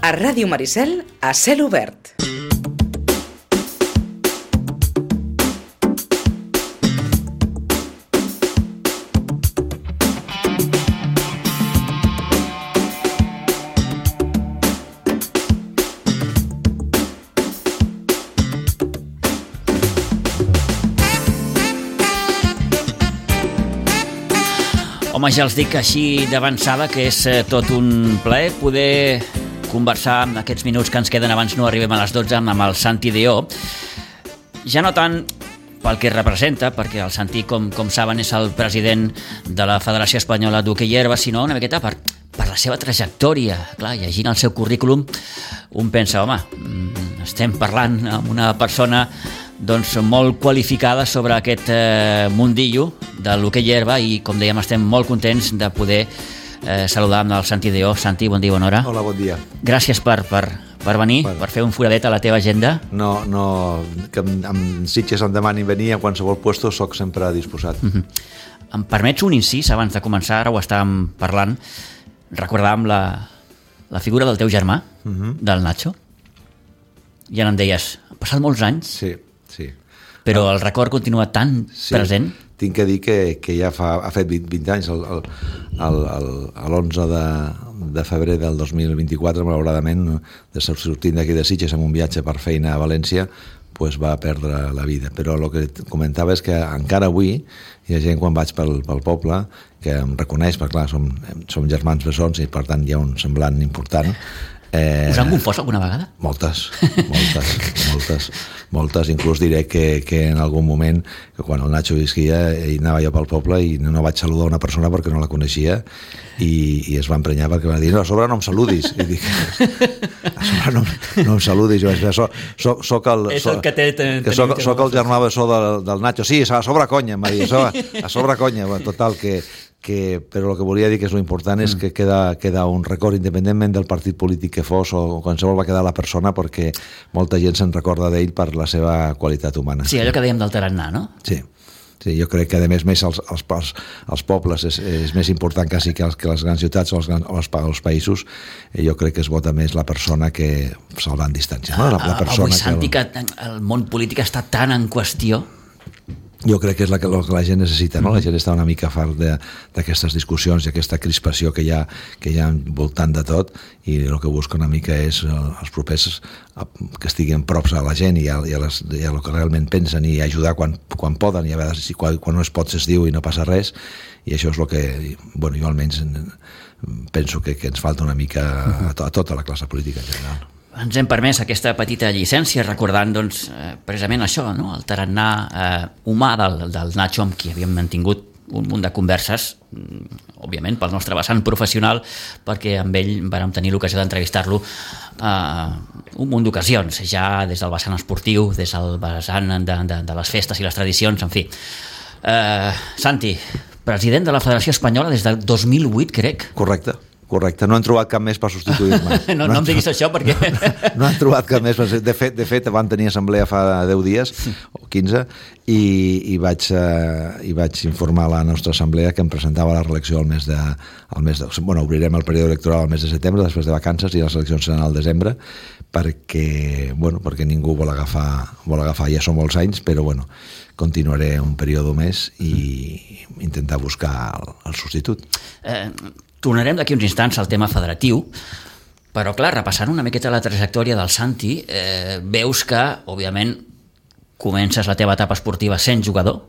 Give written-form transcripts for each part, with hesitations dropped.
A Ràdio Maricel, a cel obert. Home, ja els dic així d'avançada que és tot un plaer poder conversar en aquests minuts que ens queden abans no arribem a les 12 amb el Santi Deó. Ja no tant pel que representa, perquè el Santi, com saben, és el president de la Federació Espanyola d'Hoquei Herba, sinó una miqueta per la seva trajectòria. Clar, llegint el seu currículum, un pensa, home, estem parlant amb una persona doncs molt qualificada sobre aquest mundillo de l'hoquei herba i, com dèiem, estem molt contents de poder saludar amb el Santi Deó. Santi, bon dia, bona hora. Hola, bon dia. Gràcies per venir, per fer un foradet a la teva agenda. No, que amb Sitges em demanin venir a qualsevol puesto, soc sempre disposat. Em permets un incís abans de començar? Ara ho estàvem parlant. Recordàvem la figura del teu germà, del Nacho. Ja em deies, han passat molts anys, sí. Però el record continua tan present. Tinc que dir que ja ha fet 20 anys, l'11 de febrer del 2024, malauradament, sortint d'aquí de Sitges amb un viatge per feina a València, pues va perdre la vida. Però el que comentava és que encara avui hi ha gent, quan vaig pel poble, que em reconeix, perquè clar, som germans bessons i per tant hi ha un semblant important. Us han confós alguna vegada? Moltes. Inclús diré que en algun moment, que quan el Nacho visquia, anava jo pel poble i no vaig saludar una persona perquè no la coneixia i es va emprenyar perquè va dir, no, a sobre no em saludis. I dic, a sobre no em saludis. Jo vaig dir, soc el germà bessó del Nacho. Sí, a sobre conya, em va dir, a sobre conya. Total, però el que volia dir que és lo important és que queda un record independentment del partit polític que fos o qualsevol va quedar la persona, perquè molta gent se'n recorda d'ell per la seva qualitat humana. Sí, allò que dèiem del tarannà, no? Sí, jo crec que a més els pobles és més important quasi que les grans ciutats o els països. Jo crec que es vota més la persona que salvant distàncies, no? Avui, Santi, que el món polític està tan en qüestió. Jo crec que és el que la gent necessita, no? La gent està una mica fart d'aquestes discussions i aquesta crispació que hi ha voltant de tot, i el que busca una mica és els propers que estiguin props a la gent i a el que realment pensen, i ajudar quan poden, i a vegades quan no es pot es diu i no passa res, i això és el que, jo almenys penso que ens falta una mica a tota la classe política en general. Ens hem permès aquesta petita llicència recordant precisament això, no? El tarannà humà del Nacho, amb qui havíem mantingut un munt de converses, òbviament pel nostre vessant professional, perquè amb ell vam tenir l'ocasió d'entrevistar-lo un munt d'ocasions, ja des del vessant esportiu, des del vessant de les festes i les tradicions, en fi. Santi, president de la Federació Espanyola des del 2008, crec. Correcte, no han trobat cap més per substituir-me. No em diguis això perquè... No han trobat cap més. De fet, van tenir assemblea fa 10 dies, o 15, i vaig informar a la nostra assemblea que em presentava la reelecció al mes de... obrirem el període electoral al mes de setembre, després de vacances, i les eleccions seran al desembre, perquè ningú vol agafar, ja són molts anys, però continuaré un període més i intentar buscar el substitut. Tornarem d'aquí uns instants al tema federatiu, però clar, repassant una miqueta la trajectòria del Santi, veus que, òbviament, comences la teva etapa esportiva sent jugador.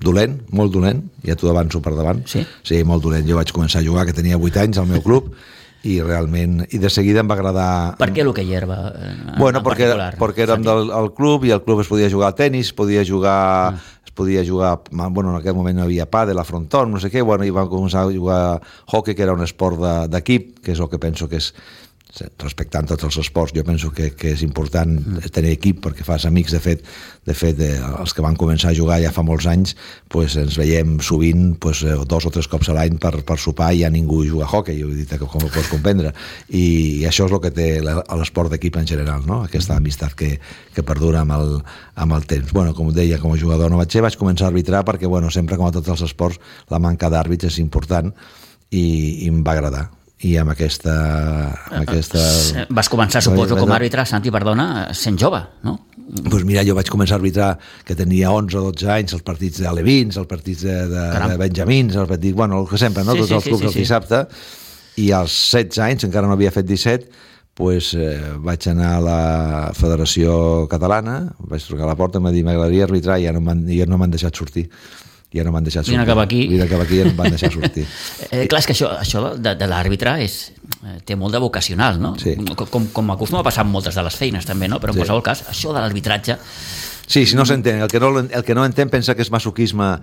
Dolent, molt dolent, ja t'ho avanço per davant. Sí? Sí, molt dolent. Jo vaig començar a jugar, que tenia 8 anys, al meu club, i realment, i de seguida em va agradar... Per què l'hoquei herba? Perquè érem del club, i al club es podia jugar a tenis, en aquell moment no hi havia pàdel, a frontón, no sé què, i vam començar a jugar a hockey, que era un esport d'equip, que és el que penso que és, respectant tots els esports, jo penso que és important tenir equip perquè fas amics. De fet, els que van començar a jugar ja fa molts anys, ens veiem sovint 2 o 3 cops a l'any per sopar, i ja ningú juga a hockey, ho he dit, com ho pots comprendre, i això és el que té l'esport d'equip en general, no? Aquesta amistat que perdura amb el temps. Com deia, com a jugador no vaig començar a arbitrar perquè sempre, com a tots els esports, la manca d'àrbits és important, i em va agradar. i amb aquesta... Vas començar, suposo, com a àrbitre, Santi, perdona, sent jove, no? Doncs mira, jo vaig començar a arbitrar que tenia 11 o 12 anys, els partits d'alevins, els partits de benjamins, els partits, bueno, el que sempre, no? Tots els clubs del dissabte, i als 16 anys, encara no havia fet 17, pues, vaig anar a la Federació Catalana, vaig trucar a la porta i em va dir m'agradaria arbitrar i ja no m'han deixat sortir. Ja no m'han deixat sortir. Vine cap aquí i ja no em van deixar sortir. Clar, és que això de l'àrbitre té molt de vocacional, no? Sí. Com acostuma a passar amb moltes de les feines també, no? Però en qualsevol cas, això de l'arbitratge... Sí, si no s'entén, el que no entén pensa que és masoquisme,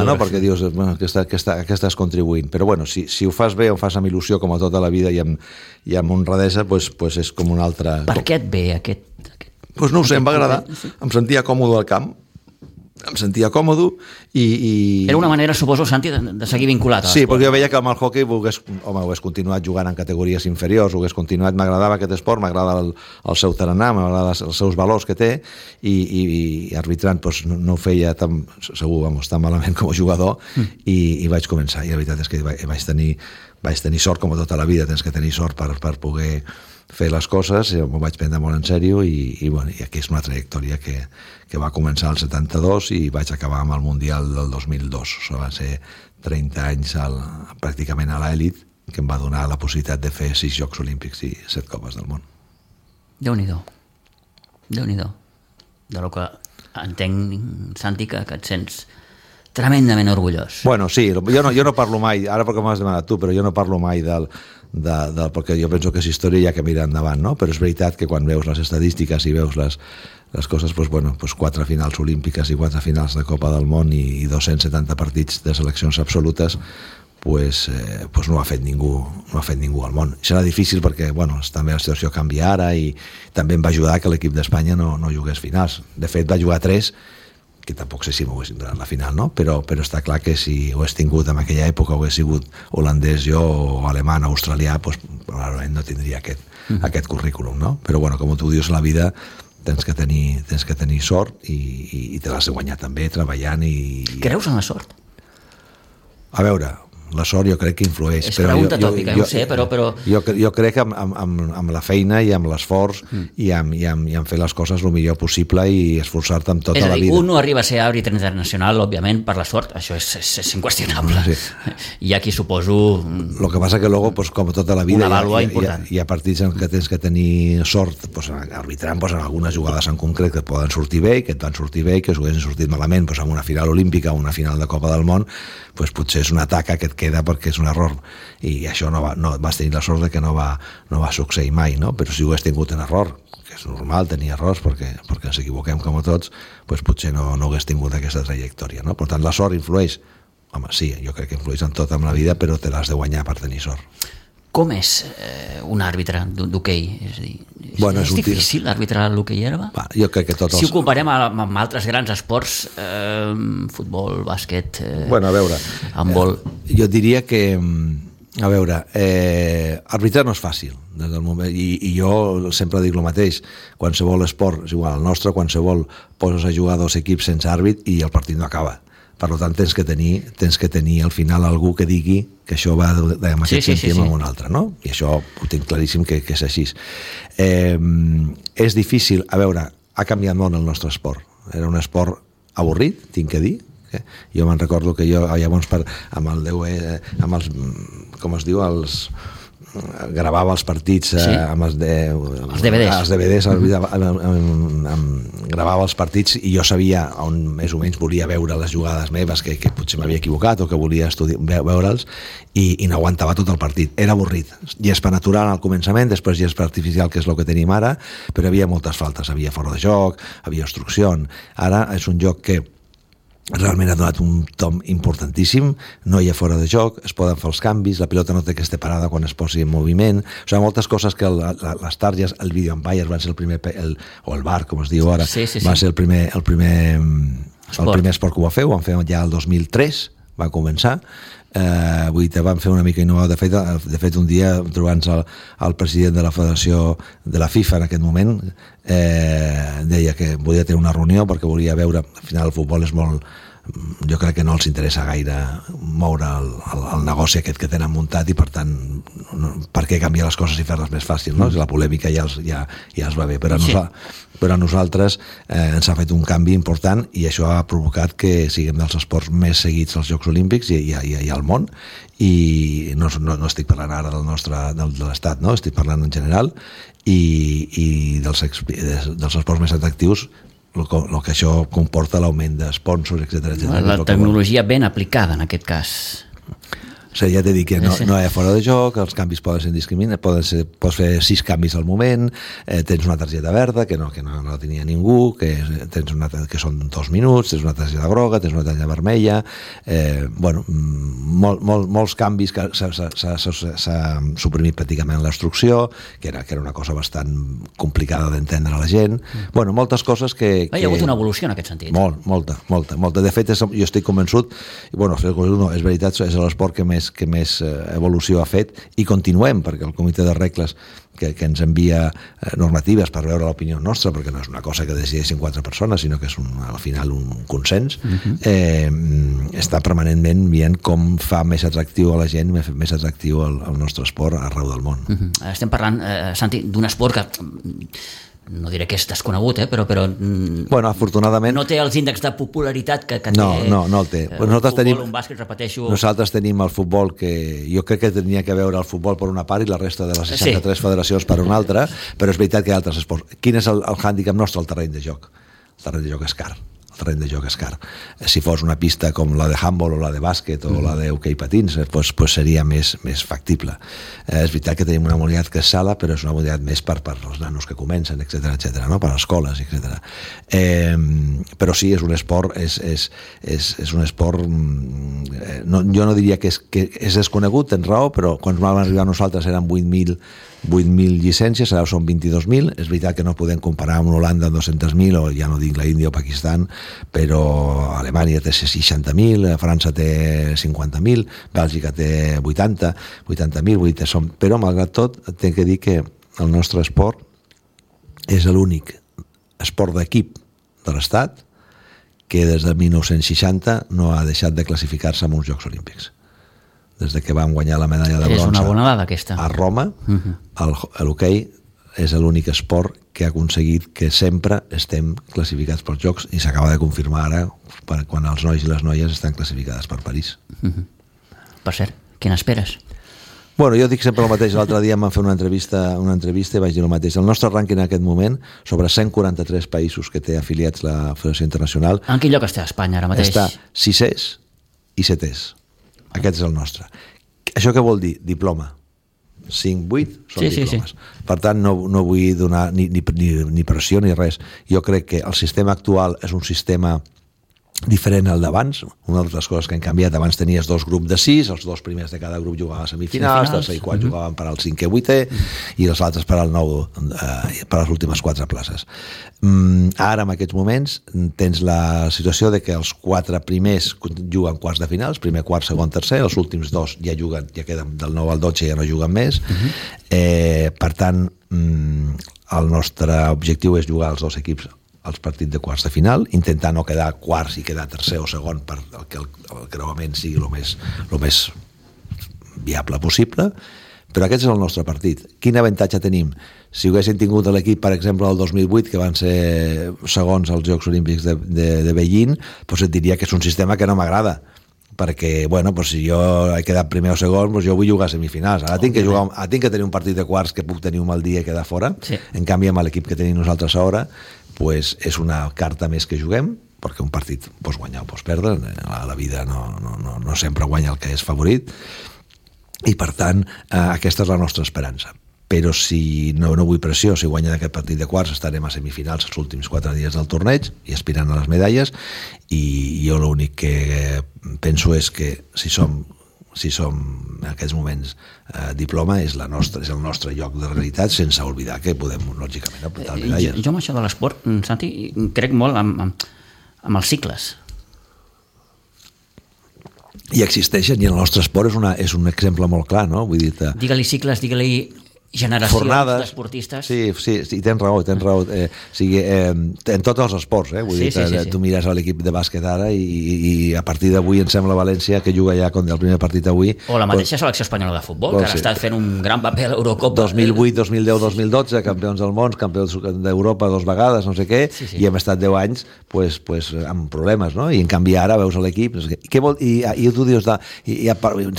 no? Perquè dius, bueno, que estàs contribuint. Però bueno, si ho fas bé, ho fas amb il·lusió com a tota la vida i amb honradesa, pues és com un altre... Per què et ve aquest... Pues no ho sé, em va agradar, em sentia còmode al camp, i... Era una manera, suposo, Santi, de seguir vinculat a l'esport. Sí, perquè jo veia que amb el hockey hagués continuat jugant en categories inferiors, m'agradava aquest esport, m'agrada el seu tarannà, m'agrada els seus valors que té, i arbitrant pues, no ho feia tan malament com a jugador, i vaig començar, i la veritat és que vaig tenir sort, com a tota la vida tens que tenir sort per poder fer les coses, m'ho vaig prendre molt en sèrio i aquí és una trajectòria que va començar al 72 i vaig acabar amb el Mundial del 2002. Això va ser 30 anys pràcticament a l'elit, que em va donar la possibilitat de fer 6 Jocs Olímpics i 7 Copes del Món. Déu-n'hi-do. De lo que entenc, Santi, que et sents tremendament orgullós. Bueno, sí, jo no parlo mai, ara perquè m'has demanat tu, però jo no parlo mai perquè jo penso que és història i hi ha que mirar endavant, no? Però és veritat que quan veus les estadístiques i veus les coses, pues 4 finals olímpiques i 4 finals de Copa del Món i 270 partits de seleccions absolutes, pues no ho ha fet ningú al món. Serà difícil perquè també la situació canvia ara i també em va ajudar que l'equip d'Espanya no jugués finals. De fet, va jugar 3, que tampoc sé si m'ho haguessin donat la final, no? Però està clar que si ho hagués tingut en aquella època, ho hagués sigut holandès jo o alemany o australià, pues, probablement no tindria aquest currículum, no? Però com tu dius, la vida tens que tenir sort i te l'has de guanyar també treballant i... Creus en la sort? A veure, la sort jo crec que influeix. És pregunta tòpica, no ho sé, però... Jo crec que amb la feina i amb l'esforç i amb fer les coses el millor possible i esforçar-te amb tota la vida. És a dir, un no arriba a ser àrbitre internacional, òbviament, per la sort, això és inqüestionable. Sí. Hi ha qui suposo... El que passa que luego, com tota la vida, una vàlua important. Hi ha partits en què tens que tenir sort, arbitrant en algunes jugades en concret que et poden sortir bé i que et van sortir bé i que us haguessin sortit malament en una final olímpica o una final de Copa del Món, potser és una taca que et queda perquè és un error i això vas tenir la sort de que no va succeir mai, no? Però si ho hagués tingut en error, que és normal tenir errors perquè ens equivoquem com a tots, potser no hagués tingut aquesta trajectòria, no? Per tant, la sort influeix. Home, sí, jo crec que influeix en tot en la vida, però te l'has de guanyar per tenir sort. Com és un àrbitre d'hoquei? És a dir, és difícil arbitrar l'hoquei herba? Jo crec que si ho comparem amb altres grans esports, futbol, bàsquet, a veure, handbol... Jo diria que, a veure, arbitrar no és fàcil, des del moment, i jo sempre dic el mateix, qualsevol esport, és igual, el nostre, qualsevol poses a jugar 2 equips sense àrbit i el partit no acaba. Per tant, tens que tenir al final algú que digui que això va amb aquest sentit amb un altre, no? I això ho tinc claríssim que és així. És difícil, a veure, ha canviat molt el nostre esport. Era un esport avorrit, tinc que dir. Jo me'n recordo que jo llavors amb els, com es diu, gravava els partits amb els DVDs, gravava els partits i jo sabia on més o menys volia veure les jugades meves que potser m'havia equivocat o que volia veure'ls i no aguantava tot el partit, era avorrit, gespa natural al començament, després gespa artificial, que és el que tenim ara, però hi havia moltes faltes, havia fora de joc, havia obstrucció. Ara és un joc que realment ha donat un tom importantíssim, no hi ha fora de joc, es poden fer els canvis, la pilota no té que estar parada quan es posi en moviment, o sigui, moltes coses que les targes, el video umpire van ser el primer, o el VAR, com es diu ara, va ser el primer esport que ho va fer, ho van fer ja el 2003, va començar, vull dir, van fer una mica innovador. De fet un dia, trobant-se el president de la federació de la FIFA en aquest moment, deia que volia tenir una reunió perquè volia veure, al final el futbol és molt jo crec que no els interessa gaire moure el negoci aquest que tenen muntat i per tant per què canviar les coses i fer-les més fàcils, no? La polèmica ja els va bé, però a nosaltres ens ha fet un canvi important i això ha provocat que siguem dels esports més seguits als Jocs Olímpics i al món, i no estic parlant ara de l'Estat, no? Estic parlant en general i dels esports més atractius, el que això comporta l'augment d'esponsors, etc. La tecnologia ben aplicada en aquest cas. O sigui, ja t'he dit que no hi ha fora de joc, els canvis poden ser indiscriminats, pots fer 6 canvis al moment, tens una targeta verda que no la tenia ningú, que són 2 minuts, tens una targeta groga, tens una targeta vermella, molts canvis que s'ha suprimit pràcticament l'instrucció, que era una cosa bastant complicada d'entendre a la gent. Moltes coses que... Hi ha hagut una evolució en aquest sentit. Molta. De fet, jo estic convençut, és veritat, és l'esport que més evolució ha fet i continuem, perquè el comitè de regles que ens envia normatives per veure l'opinió nostra, perquè no és una cosa que decideixen 4 persones, sinó que és al final un consens, està permanentment veient com fa més atractiu a la gent, més atractiu el nostre esport arreu del món. Estem parlant, Santi, d'un esport que... no diré que és desconegut, però afortunadament no té els índexs de popularitat que té no el té. Un bàsquet, repeteixo. Nosaltres tenim el futbol, que jo crec que tenia que veure el futbol per una part i la resta de les 63 federacions per una altra, però és veritat que hi ha altres esports. Quin és el hàndicap nostre? El terreny de joc. El terreny de joc és car. Si fos una pista com la de handball o la de bàsquet o la d'hoquei patins, pues seria més factible. És veritat que tenim una modalitat que és sala, però és una modalitat més per als nanos que comencen, etc., no? Per a escoles, etc. Però sí, és un esport, és un esport, jo no diria que és desconegut, tens raó, però quan vam arribar a nosaltres eren 8.000 llicències, ara són 22.000. És veritat que no podem comparar amb Holanda amb 200.000, o ja no dic la Índia o Pakistan, però Alemanya té 60.000, França té 50.000, Bèlgica té 80.000, però malgrat tot tinc que dir que el nostre esport és l'únic esport d'equip de l'Estat que des de 1960 no ha deixat de classificar-se en uns Jocs Olímpics. Des que vam guanyar la medalla de bronze, és una bona dada, aquesta, a Roma, l'hoquei és l'únic esport que ha aconseguit que sempre estem classificats pels Jocs, i s'acaba de confirmar ara quan els nois i les noies estan classificades per París. Per cert, què n'esperes? Jo dic sempre el mateix. L'altre dia em van fer una entrevista i vaig dir el mateix. El nostre rànquing en aquest moment, sobre 143 països que té afiliats la Federació Internacional... En quin lloc està Espanya ara mateix? Està 6è i 7è. Aquest és el nostre. Això què vol dir? Diploma. 5, 8 són diplomes. Per tant, no vull donar ni pressió ni res. Jo crec que el sistema actual és un sistema diferent al d'abans. Una de les coses que han canviat: abans tenies 2 grups de 6, els 2 primers de cada grup jugaven a semifinals, tercer i quart jugaven per al 5è i 8è, i els altres per al 9, per a les últimes 4 places. Ara, en aquests moments, tens la situació de que els 4 primers juguen quarts de finals, primer, quart, segon, tercer, els últims 2 ja juguen, ja queden del 9 al 12, ja no juguen més. Per tant, el nostre objectiu és jugar els 2 equips als partits de quarts de final, intentar no quedar quarts i quedar tercer o segon per que el creuament sigui el més viable possible, però aquest és el nostre partit. Quin avantatge tenim? Si haguéssim tingut l'equip, per exemple, del 2008, que van ser segons als Jocs Olímpics de Beijing, doncs et diria que és un sistema que no m'agrada, perquè, si jo he quedat primer o segon, jo vull jugar a semifinals. Ara tinc que tenir un partit de quarts que puc tenir un mal dia i quedar fora. En canvi, amb l'equip que tenim nosaltres ara, és una carta més que juguem, perquè un partit pots guanyar o pots perdre, a la vida no sempre guanya el que és favorit, i per tant aquesta és la nostra esperança. Però si no vull pressió, si guanya aquest partit de quarts estarem a semifinals els últims 4 dies del torneig i aspirant a les medalles, i jo l'únic que penso és que si som en aquests moments diploma, és el nostre lloc de realitat, sense oblidar que podem, lògicament, apuntar medalles. Jo amb això de l'esport, Santi, crec molt amb els cicles. I existeixen, i el nostre esport és un exemple molt clar, no? Vull dir, digue-li cicles, digue-li generacions d'esportistes. Sí, tens raó. En tots els esports, vull dir, tu mires a l'equip de bàsquet ara i a partir d'avui em sembla València que juga ja contra el primer partit avui. O la mateixa selecció espanyola de futbol, que ara està fent un gran paper a l'Eurocopa. 2008, 2010, 2012, campions del món, campions d'Europa 2 vegades, no sé què, i hem estat 10 anys amb problemes, no? I en canvi ara veus l'equip, no sé què. I tu dius,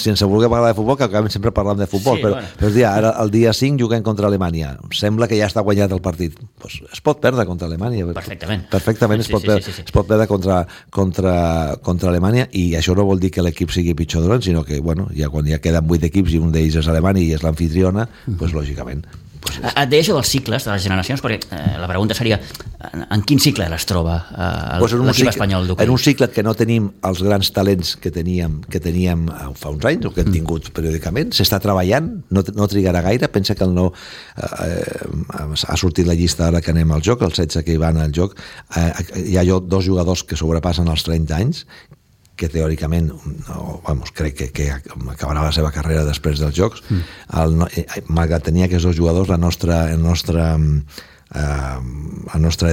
sense voler parlar de futbol, que acabem sempre parlant de futbol, però ara el dia 5 juguem contra Alemanya. Sembla que ja està guanyat el partit. Es pot perdre contra Alemanya. Perfectament es pot perdre contra Alemanya, i això no vol dir que l'equip sigui pitjor dolent, sinó que ja quan ja queden 8 equips i un d'ells és Alemanya i és l'amfitriona, lògicament. Et deia això dels cicles, de les generacions, perquè la pregunta seria en quin cicle es troba l'equip espanyol d'hoquei? En un cicle que no tenim els grans talents que teníem fa uns anys, o que hem tingut periòdicament. S'està treballant, no trigarà gaire. Pensa que ha sortit la llista ara que anem al joc, els 16 que hi van al joc. Hi ha 2 jugadors que sobrepassen els 30 anys, que teòricament crec que acabarà la seva carrera després dels Jocs. Malgrat tenir aquests 2 jugadors, la nostra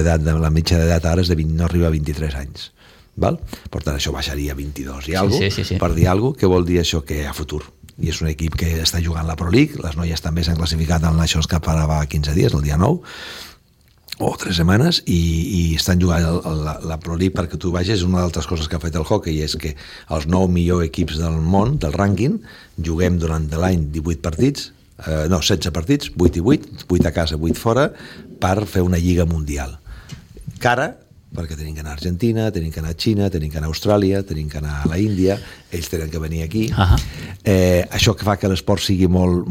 edat, la mitja d'edat ara no arriba a 23 anys. Per tant, això baixaria a 22 i alguna cosa, per dir alguna cosa, que vol dir això que a futur. I és un equip que està jugant la Pro League, les noies també s'han classificat en Nations Cup ara fa 15 dies, el dia 9, o 3 setmanes, i estan jugant la Pro League. Perquè tu vegis, una d'altres coses que ha fet el hockey és que els 9 millors equips del món, del rànquing, juguem durant l'any 18 partits, 16 partits, 8 i 8, 8 a casa, 8 fora, per fer una lliga mundial. Cara, perquè tenim que anar a Argentina, tenim que anar a Xina, tenim que anar a Austràlia, tenim que anar a la Índia, ells tenen que venir aquí. Això que fa que l'esport sigui molt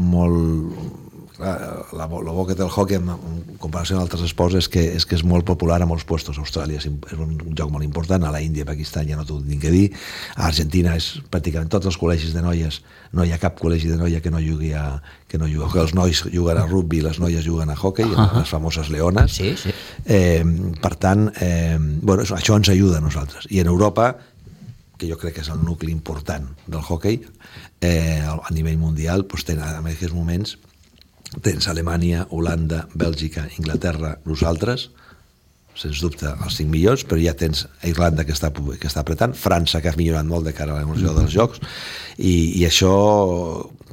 la bo que té el hockey en comparació amb altres esports és que és molt popular a molts puestos. A Austràlia és un joc molt important, a la Índia, Pakistan ja no t'ho tinc que dir, a Argentina és pràcticament tots els col·legis de noies, no hi ha cap col·legi de noia que no jugui que els nois juguen a rugby, les noies juguen a hockey, les famoses leones. Per tant, això ens ajuda a nosaltres. I en Europa, que jo crec que és el nucli important del hockey a nivell mundial, en aquests moments tens Alemanya, Holanda, Bèlgica, Inglaterra, nosaltres, sens dubte els 5 millors, però ja tens Irlanda que està apretant, França que ha millorat molt de cara a l'evolució dels Jocs, i això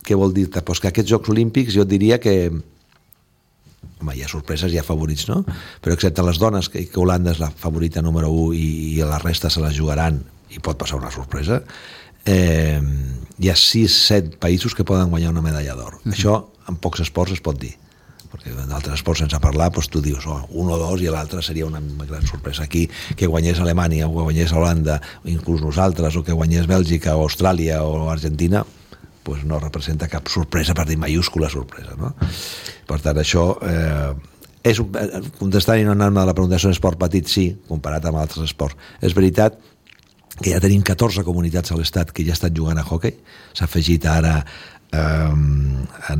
què vol dir? Pues que aquests Jocs Olímpics jo et diria que hi ha sorpreses, hi ha favorits, no? Però excepte les dones, que Holanda és la favorita número 1 i la resta se la jugaran i pot passar una sorpresa, hi ha 6-7 països que poden guanyar una medalla d'or. Això en pocs esports es pot dir, perquè en altres esports sense parlar tu dius 1 o 2 i l'altre seria una gran sorpresa. Aquí que guanyés Alemanya o que guanyés Holanda, inclús nosaltres, o que guanyés Bèlgica o Austràlia o Argentina, no representa cap sorpresa, per dir mayúscula sorpresa, no? Per tant, això contestant i no anar-me a la pregunta, és un esport petit, sí, comparat amb altres esports. És veritat que ja tenim 14 comunitats a l'estat que ja estan jugant a hoquei. S'ha afegit ara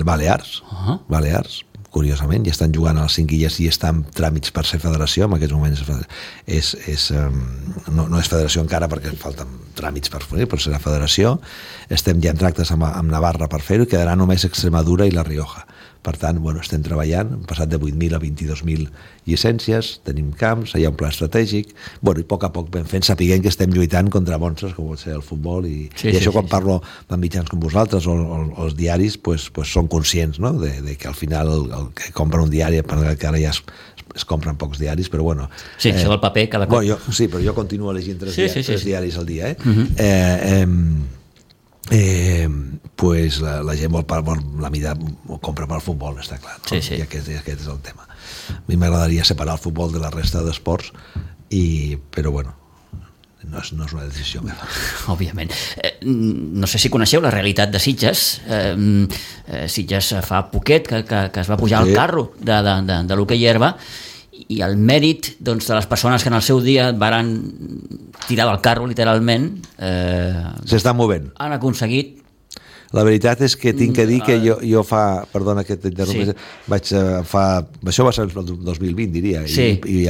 Balears, curiosament, ja estan jugant a les 5 illes i estan tràmits per ser federació. En aquests moments no és federació encara perquè falten tràmits per ser la federació. Estem ja en tractes amb Navarra per fer-ho, i quedarà només Extremadura i La Rioja. Per tant, estem treballant, hem passat de 8.000 a 22.000 llicències, tenim camps, hi ha un pla estratègic, i a poc vam fent, sapiguem que estem lluitant contra monstres, com pot ser el futbol, i això quan parlo amb mitjans com vosaltres o els diaris, són conscients, no?, de que al final el que compra un diari, que ara ja es compren pocs diaris, però bueno... Sí, això del paper cada cop... Sí, però jo continuo llegint 3 diaris al dia, la gent la mida compra pel futbol, està clar, no? I aquest és el tema. A mi m'agradaria separar el futbol de la resta d'esports, però no és una decisió meva. Òbviament. No sé si coneixeu la realitat de Sitges. Sitges fa poquet que es va pujar al carro de l'hoquei herba, i el mèrit de les persones que en el seu dia varen tirar del carro, literalment, s'està movent. Han aconseguit. La veritat és que tinc que dir que jo fa... Perdona que t'interrompis. Això va ser el 2020, diria. I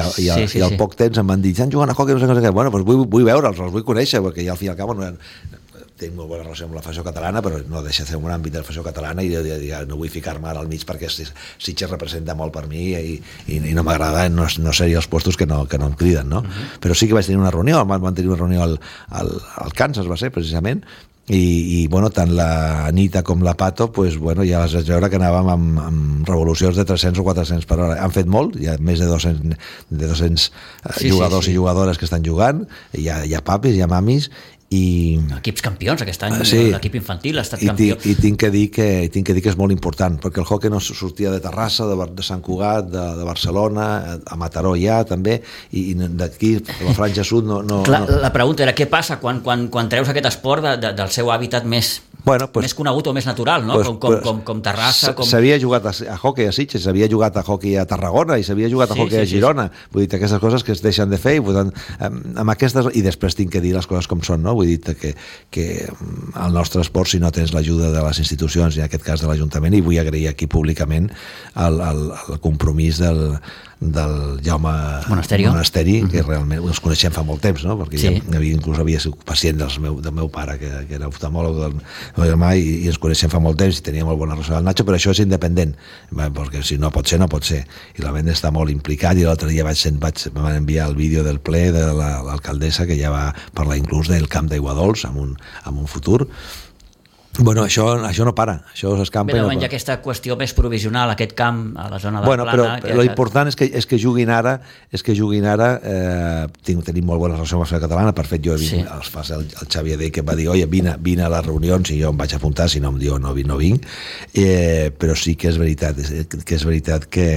al poc temps em van dir, estan jugant a hockey, no sé què. Vull veure'ls, els vull conèixer, perquè ja al fi i al cap tinc molt bona relació amb la Federació Catalana, però no deixa de ser un àmbit de la Federació Catalana i no vull ficar-me ara al mig perquè Sitges representa molt per mi i no m'agrada, no seria els puestos que no em criden, no? Però sí que vaig tenir una reunió, van tenir una reunió al Kansas, va ser, precisament, i bueno, tant la Anita com la Pato pues, bueno, ja les vaig veure que anàvem amb revolucions de 300 o 400 per hora. Han fet molt, hi ha més de 200 jugadors i jugadores que estan jugant, hi ha papis, hi ha mamis, i equips campions aquest any, l'equip infantil ha estat campió i tinc que dir que és molt important perquè el hoquei no sortia de Terrassa, de Sant Cugat, de Barcelona, a Mataró ja també, i d'aquí la franja sud no... Clar, la pregunta era què passa quan treus aquest esport del seu hàbitat més conegut o més natural, no? Com Terrassa... S'havia jugat a hoquei a Sitges, s'havia jugat a hoquei a Tarragona i s'havia jugat a hoquei a Girona. Vull dir, aquestes coses que es deixen de fer i després tinc que dir les coses com són, no? Vull dir que el nostre esport, si no tens l'ajuda de les institucions, i en aquest cas de l'Ajuntament, i vull agrair aquí públicament el compromís del Jaume Monasteri, que realment els coneixem fa molt temps, no? Perquè inclús havia sigut pacient del meu pare, que era oftalmòleg del meu germà, i ens coneixem fa molt temps i tenia molt bona relació amb el Nacho, però això és independent, perquè si no pot ser, no pot ser. I la venda està molt implicat, i l'altre dia em van enviar el vídeo del ple de l'alcaldessa, que ja va parlar inclús del camp d'Aigua Dols en un futur. Bueno, això no para, això s'escampa. Bé, hi ha aquesta qüestió més provisional, aquest camp a la zona de Plana... Però l'important és que juguin ara, tenim molt bona relació amb la Federació Catalana, per fet jo he vist, el Xavier Dey que va dir, oye, vine a les reunions, i jo em vaig apuntar, si no em diu no vinc, però sí que és veritat que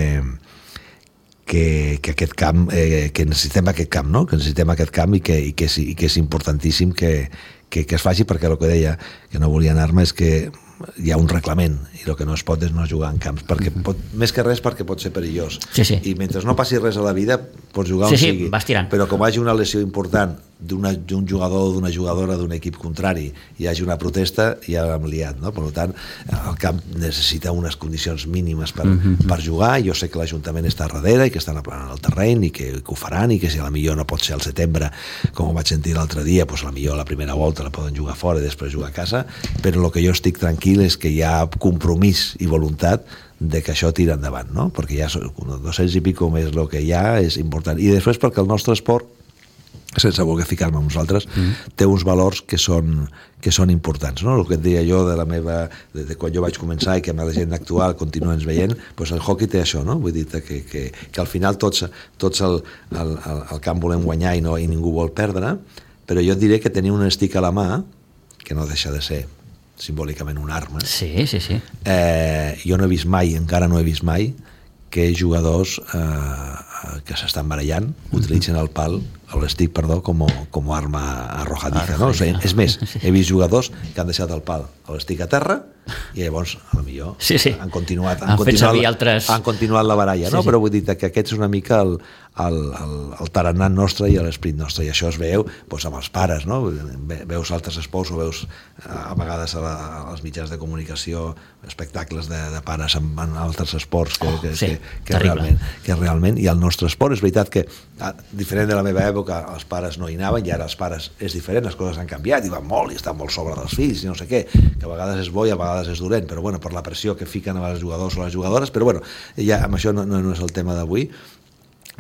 aquest camp, que necessitem aquest camp, no? Que necessitem aquest camp i que és importantíssim que es faci, perquè el que deia, que no volia anar-me, és que hi ha un reglament i el que no es pot és no jugar en camps, perquè més que res perquè pot ser perillós. I mentre no passi res a la vida pots jugar on sigui, però com hi hagi una lesió important d'un jugador o d'una jugadora d'un equip contrari i hi hagi una protesta, ja l'hem liat, no? Per tant, el camp necessita unes condicions mínimes per jugar. Jo sé que l'Ajuntament està darrere i que estan aplanant el terreny i que ho faran, i que si a la millor no pot ser al setembre, com ho vaig sentir l'altre dia, doncs a la millor la primera volta la poden jugar fora i després jugar a casa, però el que jo estic tranquil és que hi ha compromís i voluntat de que això tira endavant, no? Perquè ja 200 i pico més el que hi ha és important. I després perquè el nostre esport, sense voler ficar-me amb nosaltres, té uns valors que són importants, no? El que et deia jo de quan jo vaig començar i que amb la gent actual continuen veient, doncs el hoquei té això, no? Vull dir que al final tots el camp volem guanyar i ningú vol perdre, però jo et diré que tenir un stick a la mà, que no deixa de ser simbòlicament una arma. Sí. Jo no he vist mai, encara no he vist mai, que jugadors que s'estan barallant utilitzen el pal, l'estick, perdó, com a arma arrojadiza, no? O sigui, és més, he vist jugadors que han deixat el pal a l'estick a terra i llavors, potser han continuat la baralla, no? Però vull dir que aquest és una mica el tarannà nostre i l'esperit nostre, i això es veu amb els pares, no? Veus altres esports o veus a vegades als mitjans de comunicació espectacles de pares en altres esports que realment, i el nostre esport és veritat que diferent de la meva època els pares no hi anaven, i ara els pares és diferent, les coses han canviat i van molt i estan molt sobre dels fills i no sé què, que a vegades és bo i a vegades és dolent, però per la pressió que fiquen els jugadors o les jugadores, però ja amb això no és el tema d'avui.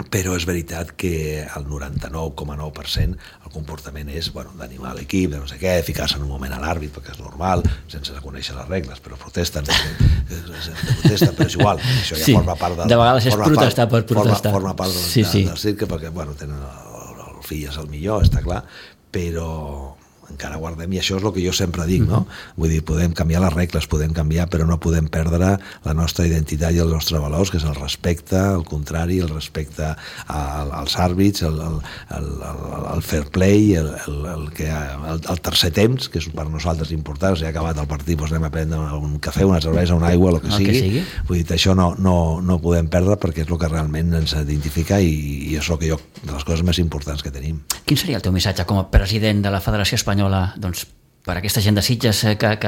Però és veritat que el 99,9% el comportament és d'animar l'equip, de no sé què, ficar-se en un moment a l'àrbit perquè és normal, sense conèixer les regles, però protesten, però és igual, això ja forma part de vegades és protestar per protestar, forma part del cirque, perquè tenen el fill és el millor, està clar, però encara guardem, i això és el que jo sempre dic, no? Vull dir, podem canviar les regles, podem canviar, però no podem perdre la nostra identitat i els nostres valors, que és el respecte, al contrari, el respecte als àrbits, el fair play, el tercer temps, que és per nosaltres important. Si ha acabat el partit, anem a prendre un cafè, una cervesa, una aigua, el que sigui. Vull dir, això no podem perdre, perquè és el que realment ens identifica i és el que de les coses més importants que tenim. Quin seria el teu missatge com a president de la Federació Espanyola per a aquesta gent de Sitges que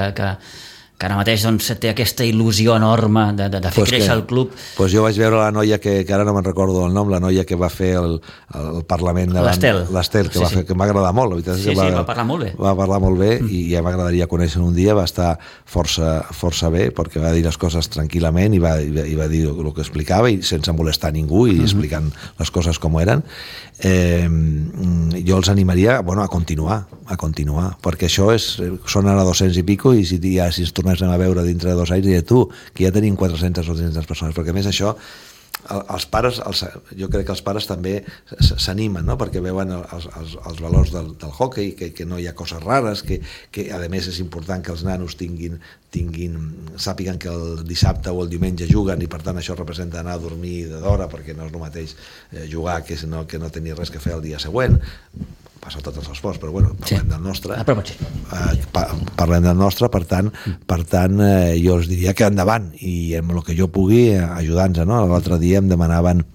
que ara mateix doncs, té aquesta il·lusió enorme de fer créixer el club. Pues jo vaig veure la noia que ara no me'n recordo el nom, la noia que va fer el Parlament l'Estel, que em va agradar molt. La veritat és que va parlar molt bé. Va parlar molt bé i ja m'agradaria conèixer un dia, va estar força bé perquè va dir les coses tranquil·lament i va dir el que explicava i sense molestar ningú i explicant les coses com eren. Jo els animaria a continuar, perquè això són ara 200 i pico i si ens tornéssim a veure dintre de 2 anys diré tu, que ja tenim 400 o 500 persones, perquè a més això els pares, jo crec que els pares també s'animen, no? Perquè veuen els valors del hoquei, que no hi ha coses rares, que a més és important que els nanos sàpiguen que el dissabte o el diumenge juguen i per tant això representa anar a dormir d'hora perquè no és el mateix jugar que no tenir res que fer el dia següent. Passa a tots els esports, però parlem del nostre. Parlem del nostre, per tant, jo els diria que endavant, i amb el que jo pugui ajudar-nos, no? L'altre dia em demanaven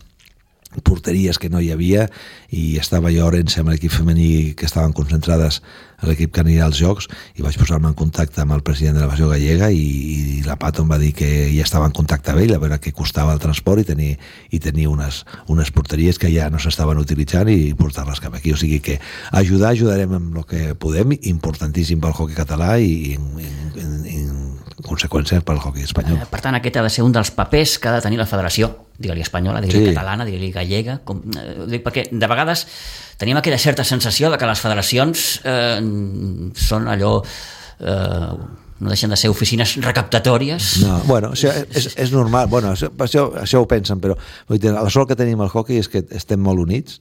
porteries que no hi havia i estava jo a Orense amb l'equip femení que estaven concentrades a l'equip que anirà als Jocs i vaig posar-me en contacte amb el president de la Federació Gallega i la Pato em va dir que ja estava en contacte amb ell a veure què costava el transport i tenir unes porteries que ja no s'estaven utilitzant i portar-les cap aquí, o sigui que ajudarem amb el que podem, importantíssim pel hoquei català i en conseqüència pel hoquei espanyol. Per tant, aquest ha de ser un dels papers que ha de tenir la federació, digue-li espanyola, digue-li catalana, digue-li gallega, perquè de vegades tenim aquella certa sensació de que les federacions són allò... no deixen de ser oficines recaptatòries. No, això és normal, això ho pensen, però la sort que tenim al hoquei és que estem molt units.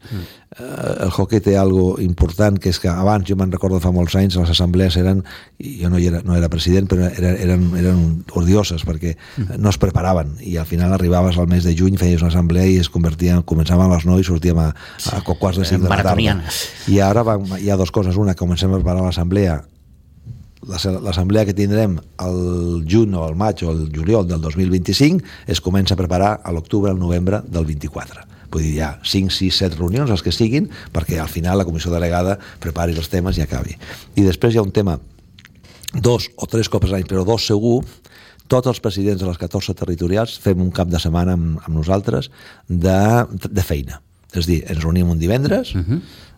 El hoquei té algo important, que és que abans, jo me'n recordo fa molts anys, les assemblees eren, jo no era president, però eren odioses, perquè no es preparaven, i al final arribaves al mes de juny, feies una assemblea i començàvem a les 9 i sortíem a quarts de 5 de la tarda. I ara hi ha dues coses, una, comencem a preparar l'assemblea, l'assemblea que tindrem al juny o al maig o al juliol del 2025 es comença a preparar a l'octubre al novembre del 24. Vull dir, hi ha 5, 6, 7 reunions, els que siguin, perquè al final la comissió delegada prepari els temes i acabi. I després hi ha un tema, 2 o 3 cops a l'any, però 2 segur, tots els presidents de les 14 territorials fem un cap de setmana amb nosaltres de feina. És a dir, ens reunim un divendres,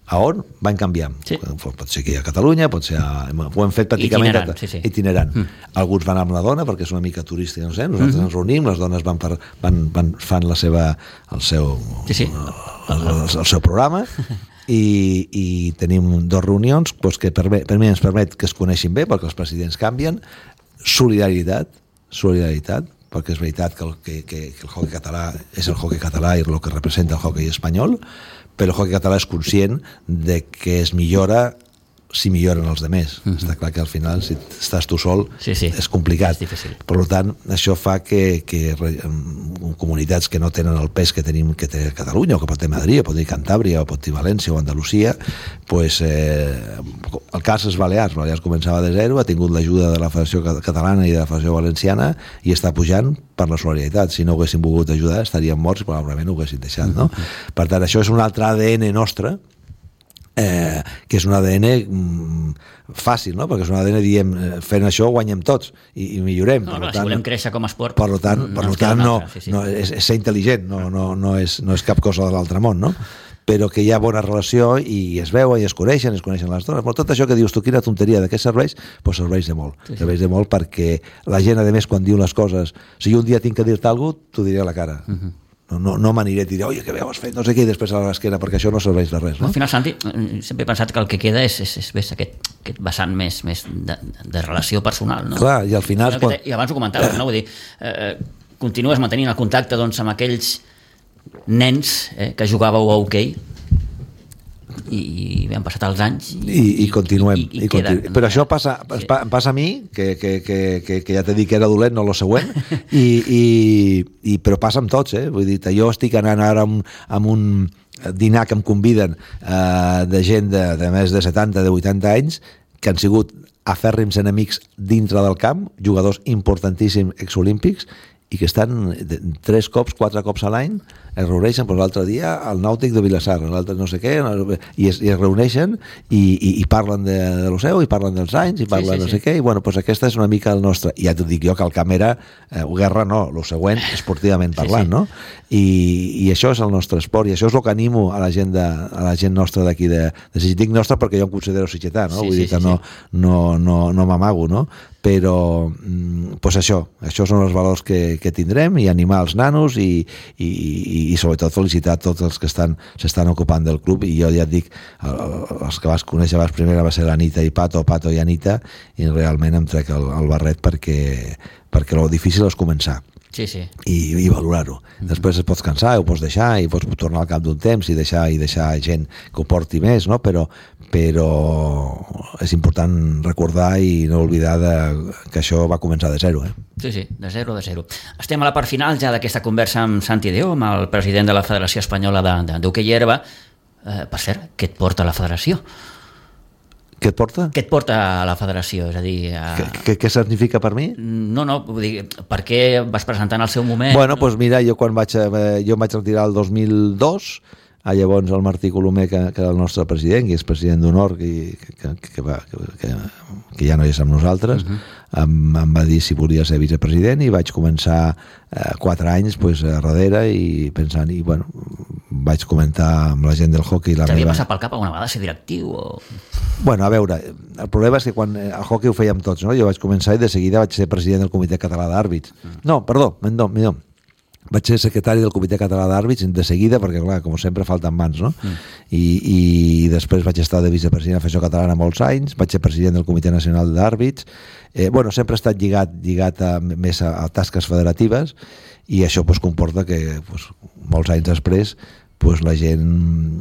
a on van canviant. Pot ser aquí a Catalunya, pot ser ho hem fet pràcticament itinerant. Alguns van amb la dona perquè és una mica turística, no sé, nosaltres ens reunim, les dones fan el seu programa i tenim 2 reunions que per mi ens permet que es coneixin bé perquè els presidents canvien, solidaritat, perquè és veritat que el hoquei català és el hoquei català i el que representa el hoquei espanyol, però el hoquei català és conscient de que es millora si milloren els demés. Està clar que al final, si estàs tu sol, és complicat. Per tant, això fa que comunitats que no tenen el pes que té Catalunya, o que pot tenir Madrid, o pot tenir Cantàbria, o pot tenir València o Andalusia, el cas és Balears. Balears començava de zero, ha tingut l'ajuda de la Federació Catalana i de la Federació Valenciana i està pujant per la solidaritat. Si no ho haguessin volgut ajudar, estarien morts i probablement ho haguessin deixat. No? Per tant, això és un altre ADN nostre, que és un ADN fàcil, no? Perquè és un ADN, diem, fent això guanyem tots i millorem. Si volem créixer com a esport, per tant, és ser intel·ligent, no és cap cosa de l'altre món, no? Però que hi ha bona relació i es veuen i es coneixen les dones. Però tot això que dius tu, quina tonteria, de què serveix? Doncs serveix de molt. Serveix de molt perquè la gent, a més, quan diu les coses, si jo un dia tinc que dir-te alguna cosa, t'ho diré a la cara. No m'aniré a dir, oi, que bé ho has fet, no sé què, i després a l'esquena, perquè això no serveix de res. No? Al final, Santi, sempre he pensat que el que queda és aquest vessant més de relació personal. No? Clar, i al final... I abans ho comentaves, no? Vull dir, continues mantenint el contacte amb aquells nens que jugàveu a hoquei i han passat els anys i continuem. Però això passa a mi, que ja t'he dit que era dolent, no lo següent, però passa amb tots, vull dir, jo estic anant ara amb un dinar que em conviden de gent de més de 70, de 80 anys, que han sigut afèrrims enemics dintre del camp, jugadors importantíssims exolímpics, i que estan 3 cops, 4 cops a l'any reuneixen, doncs l'altre dia el Nàutic de Vilassar, l'altre no sé què, i es reuneixen i parlen de l'Oceu, i parlen dels anys, i parlen no sé què, i bueno, doncs aquesta és una mica el nostre, i ja t'ho dic jo que el camp era guerra no, el següent, esportivament parlant, no? I això és el nostre esport, i això és el que animo a la gent nostra d'aquí de dic nostra perquè jo em considero sitgetà, no? Vull dir que no m'amago, no? Però doncs això són els valors que tindrem, i animar els nanos i sobretot felicitar tots els que s'estan ocupant del club, i jo ja et dic, els que vas conèixer abans primera va ser l'Anita i Pato i Anita, i realment em trec el barret perquè el difícil és començar i valorar-ho. Després es pots cansar, ho pots deixar, i pots tornar al cap d'un temps i deixar gent que ho porti més, no? Però és important recordar i no oblidar que això va començar de zero. Sí, de zero. Estem a la part final ja d'aquesta conversa amb Santi Deo, amb el president de la Federació Espanyola d'Hoquei Herba. Per cert, què et porta a la federació? Què et porta? Què et porta a la federació? És a dir... Què significa per mi? No, vull dir, per què vas presentar en el seu moment? Bueno, doncs mira, jo em vaig retirar el 2002, llavors el Martí Colomer, que era el nostre president, que és president d'honor, que ja no és amb nosaltres, em va dir si volia ser vicepresident, i vaig començar 4 anys darrere i pensant, i bueno, vaig comentar amb la gent del hockey t'havia passat pel cap alguna vegada ser directiu? Bueno, a veure, el problema és que quan el hockey ho fèiem tots, no? Jo vaig començar i de seguida vaig ser president del Comitè Català d'Àrbits. No, perdó, millor. Vaig ser secretari del Comitè Català d'Àrbits de seguida, perquè clar, com sempre falten mans, no? I després vaig estar de vicepresident de la Federació Catalana molts anys, vaig ser president del Comitè Nacional d'Àrbits. Bueno, sempre he estat lligat més a tasques federatives, i això comporta que molts anys després la gent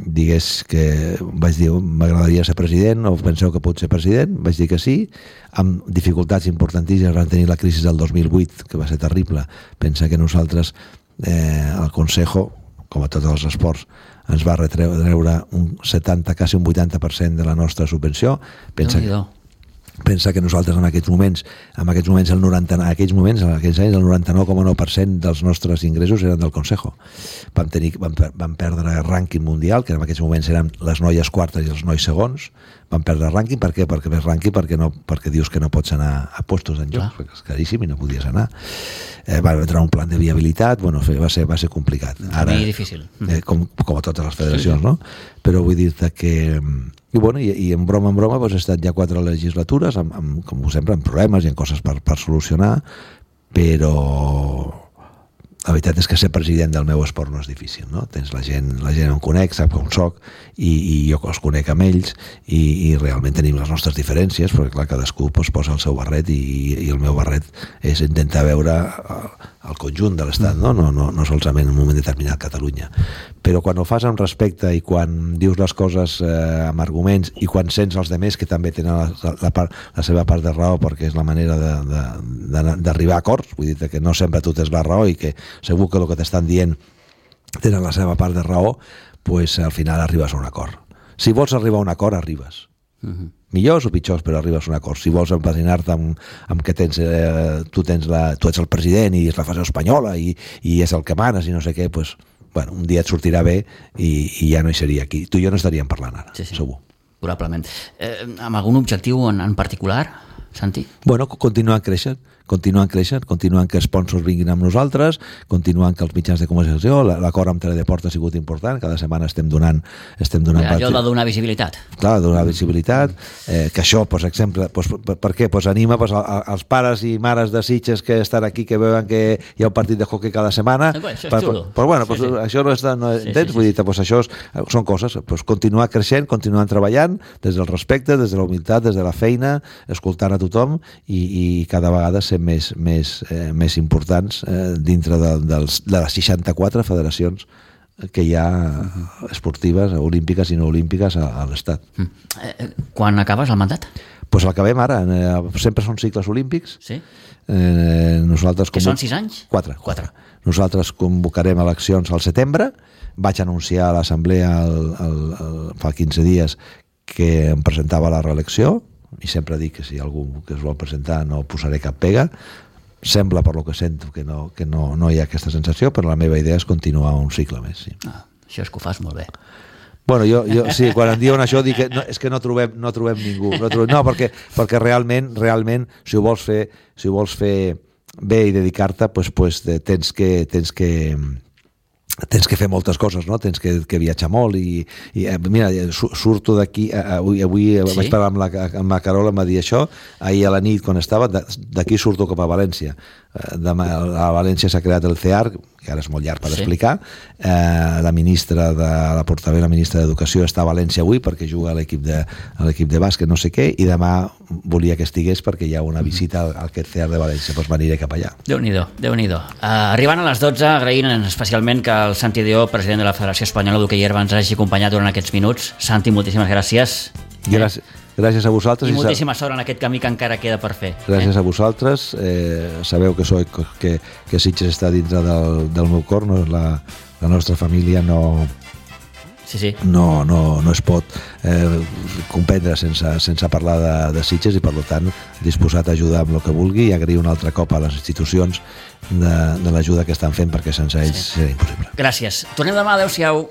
digués que vaig dir m'agradaria ser president, o penseu que pot ser president? Vaig dir que sí, amb dificultats importantíssimes. Vam tenir la crisi del 2008, que va ser terrible. Pensa que nosaltres, el Consejo, com a tots els esports, ens va retreure un 70, quasi un 80% de la nostra subvenció. Pensa que nosaltres en aquells moments, en aquells anys, el 99,9% dels nostres ingressos eren del Consejo. Vam perdre el rànquing mundial, que en aquells moments eren les noies quartes i els nois segons. Vam perdre rànquing, per què? Perquè més rànquing perquè dius que no pots anar a puestos en jocs, perquè és caríssim i no podies anar. Va entrar un plan de viabilitat, bueno, va ser complicat. Ara, difícil. Com a totes les federacions, no? Però vull dir-te que... I en broma he estat ja 4 legislatures, com sempre, amb problemes i amb coses per solucionar, però la veritat és que ser president del meu esport no és difícil, no? Tens la gent em conec, sap com soc, i jo els conec amb ells, i realment tenim les nostres diferències, perquè clar, cadascú posa el seu barret, i el meu barret és intentar veure el conjunt de l'Estat, no solament en un moment determinat Catalunya. Però quan ho fas amb respecte, i quan dius les coses amb arguments, i quan sents els altres que també tenen la seva part de raó, perquè és la manera d'arribar a acords, vull dir que no sempre tu tens la raó, i que segur que el que t'estan dient tenen la seva part de raó, doncs al final arribes a un acord. Si vols arribar a un acord, arribes. Millors o pitjors, però arribes a un acord. Si vols empasinar-te amb que tu ets el president i és la federació espanyola i és el que manes i no sé què, doncs, bueno, un dia et sortirà bé i ja no hi seria aquí. Tu i jo no estaríem parlant ara, segur. Probablement. Amb algun objectiu en particular, Santi? Bueno, continuant creixent, continuant que sponsors vinguin amb nosaltres, continuant que els mitjans de comunicació, l'acord amb Teledeport ha sigut important, cada setmana estem donant allò de donar visibilitat. Clar, donar visibilitat, que això, per exemple, per què? Anima als pares i mares de Sitges que estan aquí, que veuen que hi ha un partit de hockey cada setmana. Això és xulo. Però bueno, això no entens? Vull dir, això són coses, continuar creixent, continuar treballant des del respecte, des de la humilitat, des de la feina, escoltant a tothom, i cada vegada ser més importants dintre de les 64 federacions que hi ha esportives, olímpiques i no olímpiques a l'Estat. Quan acabes el mandat? Doncs l'acabem ara. Sempre són cicles olímpics. Sí? Que són 6 anys? 4. Nosaltres convocarem eleccions al setembre. Vaig anunciar a l'assemblea fa 15 dies que em presentava la reelecció, i sempre dic que si algú que es vol presentar no posaré cap pega, sembla, per lo que sento, que no hi ha aquesta sensació, però la meva idea és continuar un cicle més. Sí. Això és que ho fas molt bé. Bueno, jo sí, quan em diuen això dic que no, és que no trobem ningú. No, perquè realment, si ho vols fer bé i dedicar-te, pues tens que fer moltes coses, no? Tens que viatjar molt i mira, surto d'aquí, avui vaig parlar amb la Carola, em va dir això, ahir a la nit quan estava, d'aquí surto cap a València. A València s'ha creat el CEAR, que ara és molt llarg per explicar. La portaveu, la ministra d'Educació està a València avui perquè juga a l'equip de bàsquet, no sé què, i demà volia que estigués perquè hi ha una visita al aquest CEAR de València, doncs m'aniré cap allà. Déu-n'hi-do. Arribant a les 12, agraint especialment que el Santi Dió, president de la Federació Espanyola d'Hoquei Herba, ens hagi acompanyat durant aquests minuts. Santi, moltíssimes gràcies. Gràcies a vosaltres. I moltíssima sort en aquest camí que encara queda per fer. Gràcies a vosaltres. Sabeu que Sitges està dintre del meu cor, no? La nostra família no es pot comprendre sense parlar de Sitges i, per tant, disposat a ajudar amb el que vulgui i agrair un altre cop a les institucions de l'ajuda que estan fent perquè sense ells seria impossible. Gràcies. Tornem demà. Adéu-siau.